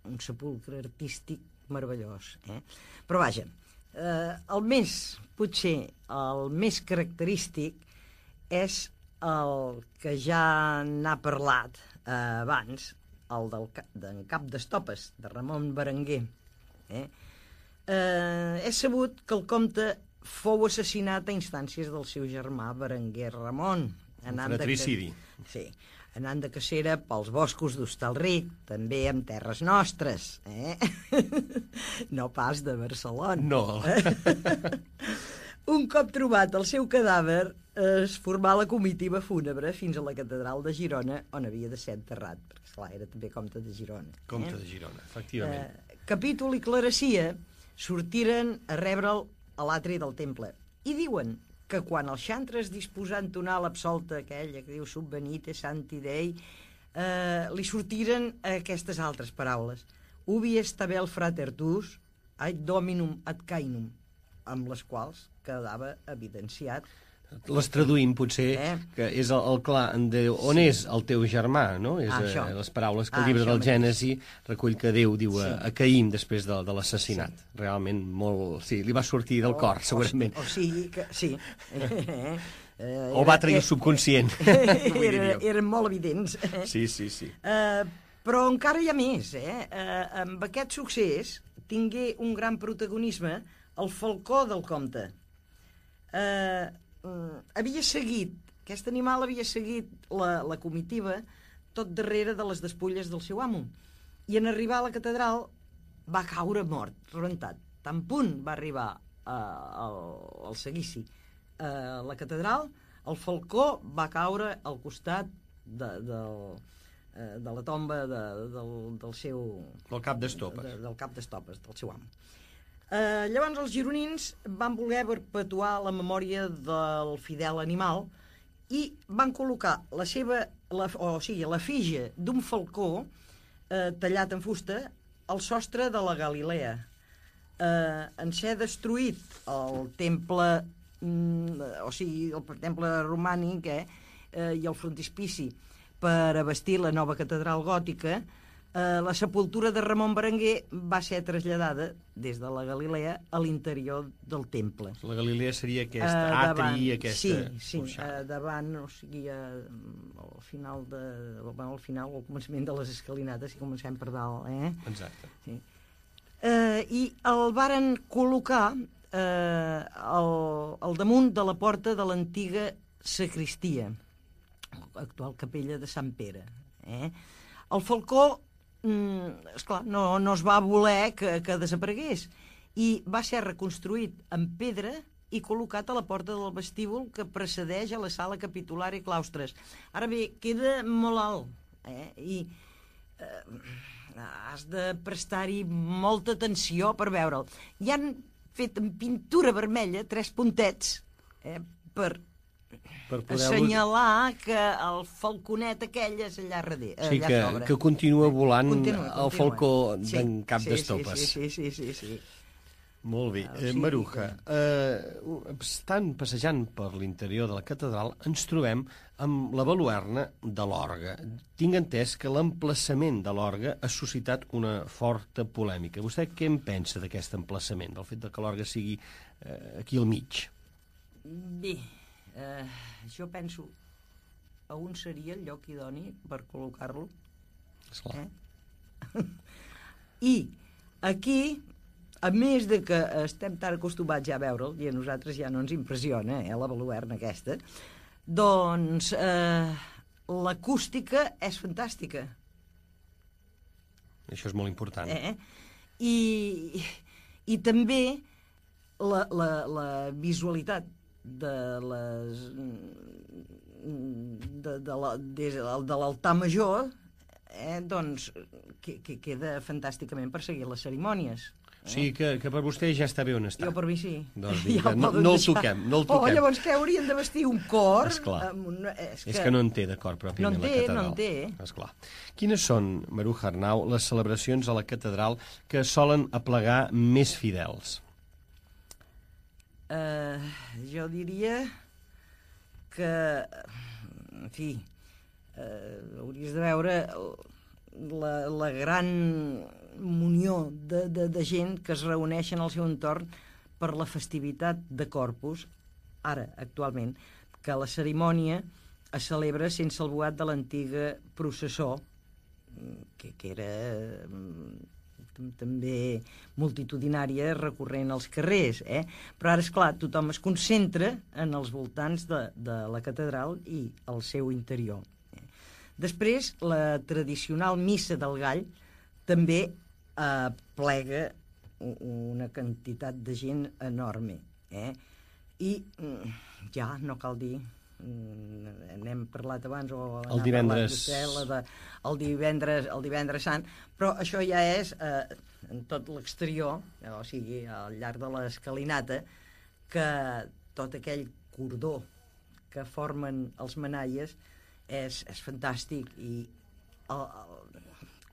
un sepulcre artístic meravellós, eh? Però vaja, uh, el més, potser el més característic és el que ja n'ha parlat uh, abans, el del d'en Cap d'Estopes, de Ramon Berenguer. Eh? Eh, és sabut que el comte fou assassinat a instàncies del seu germà Berenguer Ramon. Un fratricidi. De... Sí, anant de cacera pels boscos d'Hostalric, també en terres nostres. Eh? No pas de Barcelona. No. Un cop trobat el seu cadàver, es formà la comitiva fúnebre fins a la catedral de Girona, on havia de ser enterrat, perquè, esclar, era també comte de Girona. Comte eh? de Girona, efectivament. Eh, Capítol i Clarecia sortiren a rebre'l a l'atri del temple, i diuen que quan el xantres disposà a entonar l'absolta aquella que diu subvenite santi Dei, eh, li sortiren aquestes altres paraules: ubi est tabel frater tuus, ad dominum ad cainum, amb les quals quedava evidenciat. Les traduïm, potser, eh? que és el, el clar de on sí. és el teu germà, no? És ah, eh, les paraules que el ah, llibre del Gènesi recull que Déu diu sí. a, a Caín després de, de l'assassinat. Sí. Realment molt... Sí, li va sortir del o, cor, segurament. O, o sigui que... Sí. Eh, eh, o va trair el subconscient. Era, eren molt evidents. Sí, sí, sí. Uh, però encara hi ha més, eh? Uh, amb aquest succés tingué un gran protagonisme el falcó del comte. Eh... Uh, havia seguit, aquest animal havia seguit la, la comitiva tot darrere de les despulles del seu amo, i en arribar a la catedral va caure mort, rebentat. Tan punt va arribar uh, al, al seguici a uh, la catedral, el falcó va caure al costat de, del, uh, de la tomba de, del, del seu... Del cap d'estopes. De, del cap d'estopes, del seu amo. Uh, llavors els gironins van voler perpetuar la memòria del fidel animal i van col·locar la seva, la, o sigui, la fitxa d'un falcó uh, tallat en fusta al sostre de la Galilea. Uh, en ser destruït el temple, mm, o sigui, el temple romànic eh, uh, i el frontispici per abastir la nova catedral gòtica, Uh, la sepultura de Ramon Berenguer va ser traslladada des de la Galilea a l'interior del temple. La Galilea seria aquest uh, atri i aquesta... Sí, sí, uh, davant, o sigui, uh, al final de, bueno, al final, al començament de les escalinates, si comencem per dalt, eh? Exacte. Sí. Uh, I el varen col·locar uh, al, al damunt de la porta de l'antiga sacristia, actual capella de Sant Pere. Eh? El falcó Mm, esclar, no, no es va voler que, que desaparegués, i va ser reconstruït en pedra i col·locat a la porta del vestíbul que precedeix a la sala capitular i claustres. Ara bé, queda molt alt, eh? I eh, has de prestar-hi molta atenció per veure'l. Hi han fet en pintura vermella tres puntets eh, per per poder... assenyalar que el falconet aquell és allà darrere. Sí, allà que, sobre. que continua volant Continua, el continua. falcó Sí, d'en Cap sí, d'Estopes. Sí, sí, sí, sí, sí. Molt bé. Ah, o Eh, sigui Maruja, eh, estant passejant per l'interior de la catedral, ens trobem amb la baluerna de l'orgue. Tinc entès que l'emplaçament de l'orgue ha suscitat una forta polèmica. Vostè què en pensa d'aquest emplaçament, del fet de que l'orgue sigui eh, aquí al mig? Bé, eh, jo penso a on seria el lloc idoni per col·locar-lo. Esclar. Eh? I aquí, a més de que estem tan acostumats ja a veure'l, i a nosaltres ja no ens impressiona, eh, la baluerna aquesta, doncs eh, l'acústica és fantàstica. Això és molt important. Eh? I, I també la, la, la visualitat de les de, de, la, des de l'altar major eh, doncs que, que queda fantàsticament per seguir les cerimònies. O sigui que, que per vostè ja està bé on està. Jo per mi sí. Doncs Ja vinga, el no, poden no el deixar. toquem, no el Oh, toquem. llavors què haurien de vestir un cor? Esclar. Amb un, és, És que no en té de cor pròpiament No en té, la catedral. no en té. Esclar. Quines són, Maruja Arnau, les celebracions a la catedral que solen aplegar més fidels? Uh, jo diria que, en fi, uh, hauries de veure la, la gran munió de, de, de gent que es reuneixen al seu entorn per la festivitat de Corpus, ara, actualment, que la cerimònia es celebra sense el boat de l'antiga processó, que, que era també multitudinària recorrent als carrers, eh? Però ara, esclar, tothom es concentra en els voltants de, de la catedral i el seu interior. Eh? Després, la tradicional missa del Gall també eh, plega una quantitat de gent enorme. Eh? I ja, no cal dir, n'hem parlat abans o el divendres vostè, la de, el divendres el divendres sant, però això ja és eh, en tot l'exterior, o sigui al llarg de l'escalinata, que tot aquell cordó que formen els manaies és, és fantàstic. I el, el,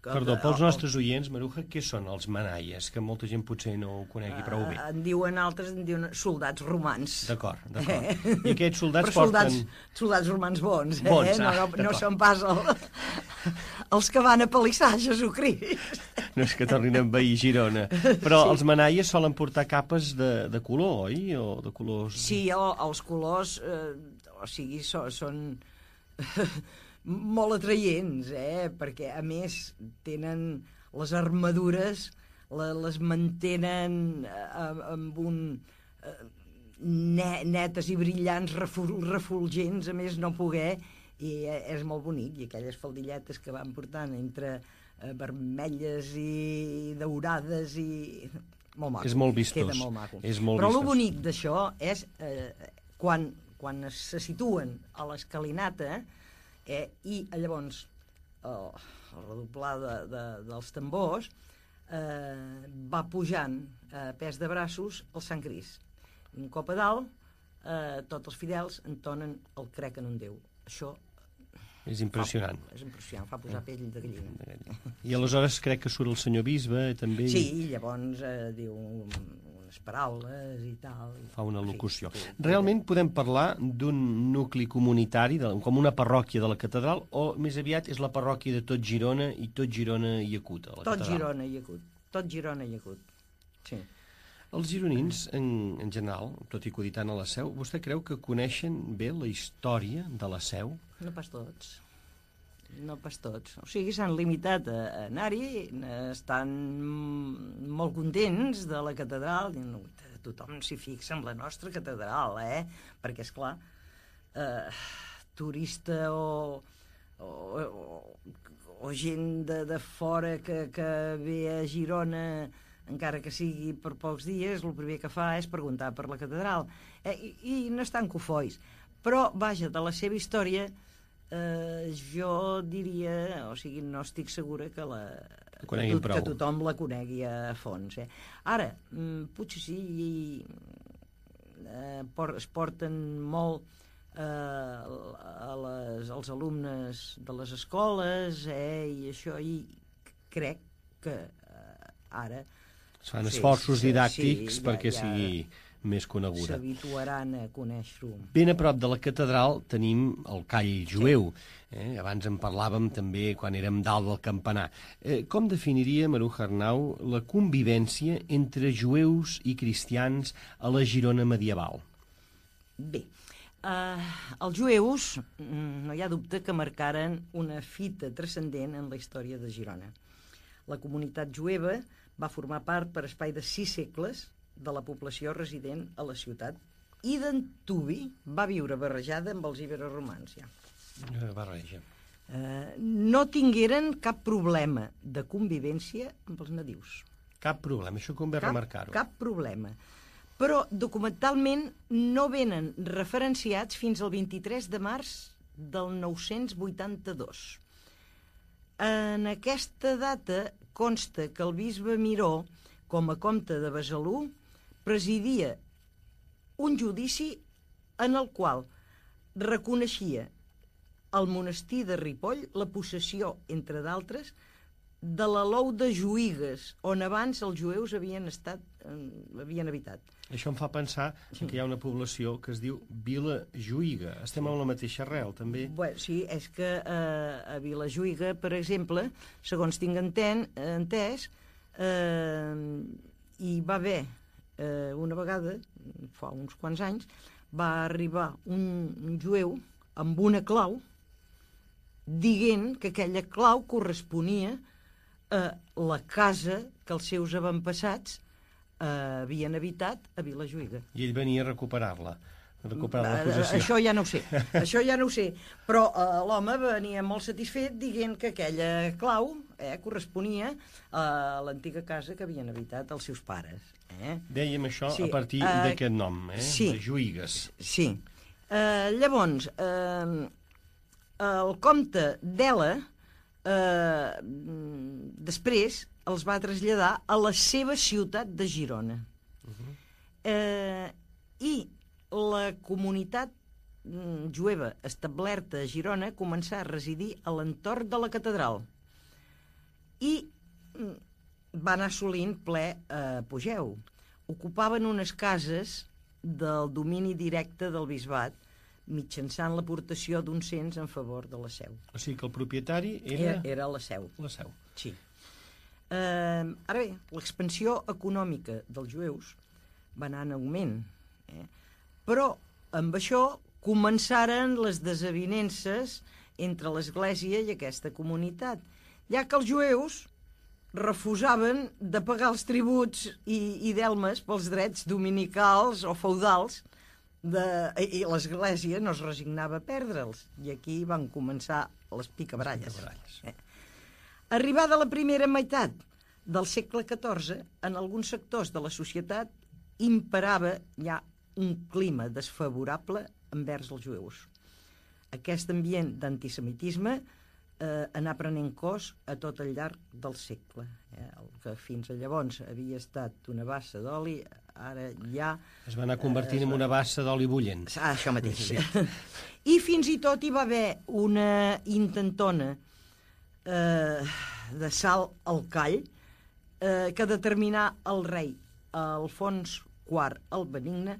Perdó, pels nostres oients, Maruja, què són els manaies? Que molta gent potser no ho conegui prou bé. En diuen altres, en diuen soldats romans. D'acord, d'acord. Eh? I aquests soldats Però soldats, porten... soldats romans bons, eh? Bons, ah, no, no, no són pas el, els que van a palissar Jesucrist. No és que tornin a envair Girona. Però sí. Els manaies solen portar capes de, de color, oi? O de colors... Sí, el, els colors, eh, o sigui, so, són... molt atraients, eh? Perquè a més tenen les armadures, la, les mantenen eh, amb un eh, ne, netes i brillants, reful, refulgents, a més no poder, i eh, és molt bonic. I aquelles faldilletes que van portant entre eh, vermelles i daurades i... molt maco. És molt vistós. Queda molt maco. És molt Però vistós. el bonic d'això és eh, quan, quan se situen a l'escalinata, Eh, i llavors el, el redoblar de, de, dels tambors eh, va pujant a pes de braços el Sant Crist. Un cop a dalt eh, tots els fidels entonen el crec en un Déu. Això és impressionant. Fa, és impressionant, fa posar pell de gallina. I aleshores crec que surt el senyor bisbe també... Sí, i llavors eh, diu unes paraules i tal. Fa una locució. Sí, sí. Realment podem parlar d'un nucli comunitari, de, com una parròquia de la catedral, o més aviat és la parròquia de tot Girona i tot Girona i acut a la tot catedral? Girona i acut. Tot Girona i acut. Sí. Els gironins, en, en general, tot i coditant a la Seu, vostè creu que coneixen bé la història de la Seu? No pas tots. No pas tots. O sigui, s'han limitat a, a anar-hi, estan molt contents de la catedral, i no, tothom s'hi fixa en la nostra catedral, eh? Perquè, esclar, eh, turista o, o, o, o gent de, de fora que, que ve a Girona, encara que sigui per pocs dies, el primer que fa és preguntar per la catedral. Eh, i, I no estan cofois. Però, vaja, de la seva història, eh, jo diria, o sigui, no estic segura que, la, que, que, que tothom la conegui a fons. Eh. Ara, potser sí, eh, por, es porten molt a les, als alumnes de les escoles, eh, i això, i crec que eh, ara... Es fan sí, esforços sí, didàctics sí, ja, perquè ja sigui més coneguda. s'habituaran a conèixer-ho. Ben a prop de la catedral tenim el call jueu. Eh? Abans en parlàvem també quan érem dalt del campanar. Eh, com definiria, Maruja Arnau, la convivència entre jueus i cristians a la Girona medieval? Bé, Uh, els jueus, no hi ha dubte que marcaren una fita transcendent en la història de Girona. La comunitat jueva va formar part per espai de sis segles de la població resident a la ciutat i d'antuvi va viure barrejada amb els iberoromans. Ja. Barreja. Uh, no tingueren cap problema de convivència amb els nadius. Cap problema, això convé remarcar-ho. Cap problema. Però documentalment no venen referenciats fins al vint-i-tres de març del nou-cents vuitanta-dos. En aquesta data consta que el bisbe Miró, com a comte de Besalú, presidia un judici en el qual reconeixia al monestir de Ripoll la possessió, entre d'altres, de l'alou de Juïgues, on abans els jueus havien estat, eh, havien habitat. Això em fa pensar que hi ha una població que es diu Vila Juïga. Estem amb la mateixa arrel, també? Bueno, sí, és que eh, a Vila Juïga, per exemple, segons tinc enten, entès, eh, hi va haver eh, una vegada, fa uns quants anys, va arribar un, un jueu amb una clau dient que aquella clau corresponia a la casa que els seus avantpassats eh, havien habitat a Vilajuïga. I ell venia a recuperar-la, a recuperar la possessió. Això ja no ho sé, això ja no ho sé, però eh, l'home venia molt satisfet dient que aquella clau eh, corresponia a l'antiga casa que havien habitat els seus pares. Eh? Dèiem això sí, a partir uh, d'aquest nom, eh? Sí, de Juïgues. Sí. Uh, llavors, uh, el comte d'Ela Eh, després els va traslladar a la seva ciutat de Girona. Uh-huh. eh, I la comunitat mm, jueva establerta a Girona començà a residir a l'entorn de la catedral i mm, va anar assolint ple eh, apogeu. Ocupaven unes cases del domini directe del bisbat mitjançant l'aportació d'un cens en favor de la Seu. O sigui que el propietari era... Era, era la Seu. La Seu. Sí. Eh, ara bé, l'expansió econòmica dels jueus va anar en augment, eh? Però amb això començaren les desavinences entre l'Església i aquesta comunitat, ja que els jueus refusaven de pagar els tributs i, i delmes pels drets dominicals o feudals de, i l'Església no es resignava a perdre'ls, i aquí van començar les picabaralles. Eh. Arribada la primera meitat del segle catorze, en alguns sectors de la societat imperava ja un clima desfavorable envers els jueus. Aquest ambient d'antisemitisme eh, anar prenent cos a tot el llarg del segle. Eh? El que fins a llavors havia estat una bassa d'oli, ara ja... Es va anar convertint eh, en una bassa d'oli bullent. Ah, això mateix. Sí. I fins i tot hi va haver una intentona eh, de salt al call eh, que determinà el rei Alfons quart el Benigne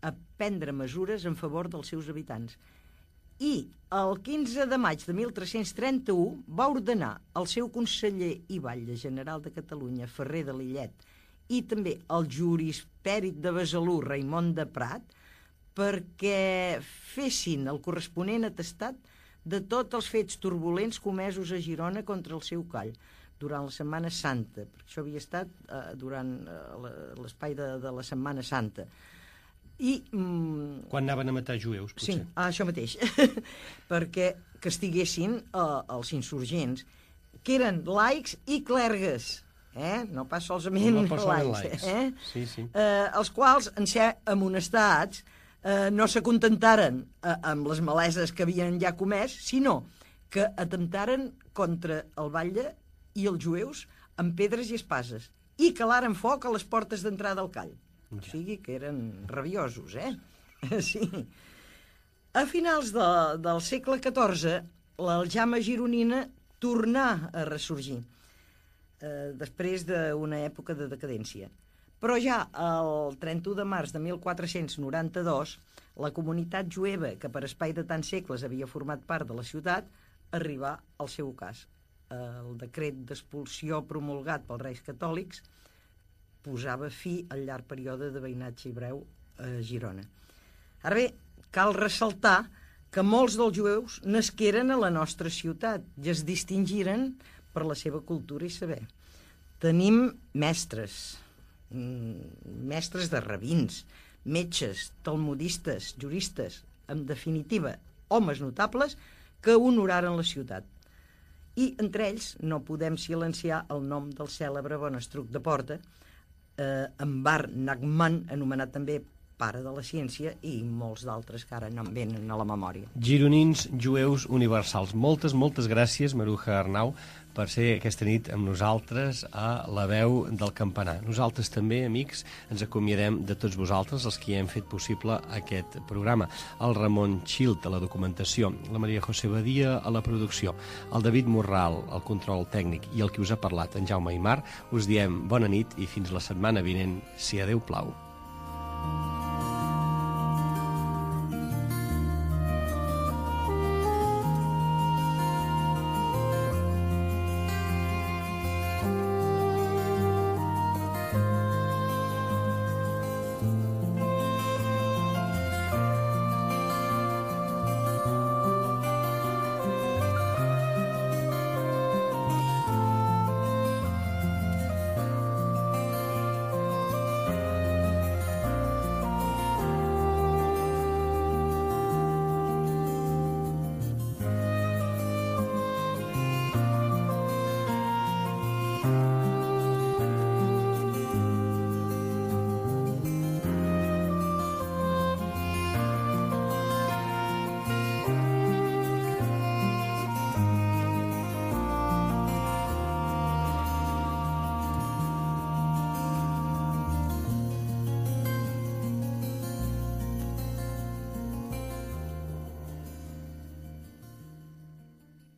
a prendre mesures en favor dels seus habitants. I el quinze de maig de mil tres-cents trenta-u va ordenar al seu conseller i batlle general de Catalunya, Ferrer de Lillet, i també el jurisperit de Besalú, Raimon de Prat, perquè fessin el corresponent atestat de tots els fets turbulents comesos a Girona contra el seu call durant la Setmana Santa, perquè això havia estat eh, durant eh, l'espai de, de la Setmana Santa. I, mm, quan anaven a matar jueus, potser. Sí, ah, això mateix. Perquè castiguessin eh, els insurgents, que eren laics i clergues, eh? No pas solament no laics, laics. Eh? Sí, sí. Eh, els quals, en ser amonestats, eh, no s'acontentaren eh, amb les maleses que havien ja comès, sinó que atemptaren contra el batlle i els jueus amb pedres i espases, i calaren foc a les portes d'entrada al call. Ja. O sigui que eren rabiosos, eh? Sí. A finals de, del segle catorze, l'aljama gironina tornà a ressorgir, eh, després d'una època de decadència. Però ja el trenta-u de març de mil quatre-cents noranta-dos, la comunitat jueva, que per espai de tants segles havia format part de la ciutat, arribà al seu ocàs. El decret d'expulsió promulgat pels Reis Catòlics posava fi al llarg període de veïnatge hebreu a Girona. Ara bé, cal ressaltar que molts dels jueus nasqueren a la nostra ciutat i es distingiren per la seva cultura i saber. Tenim mestres, mestres de rabins, metges, talmudistes, juristes, en definitiva, homes notables que honoraren la ciutat. I entre ells no podem silenciar el nom del cèlebre Bonestruc de Porta, eh, en Bar Nachman, anomenat també pare de la ciència, i molts d'altres que ara no em venen a la memòria. Gironins, jueus universals. Moltes, moltes gràcies, Maruja Arnau, per ser aquesta nit amb nosaltres a La Veu del Campanar. Nosaltres també, amics, ens acomiadem de tots vosaltres, els que hem fet possible aquest programa. El Ramon Xilt a la documentació, la Maria José Badia a la producció, el David Morral al control tècnic i el que us ha parlat, en Jaume Aymar, us diem bona nit i fins la setmana vinent, si a Déu plau.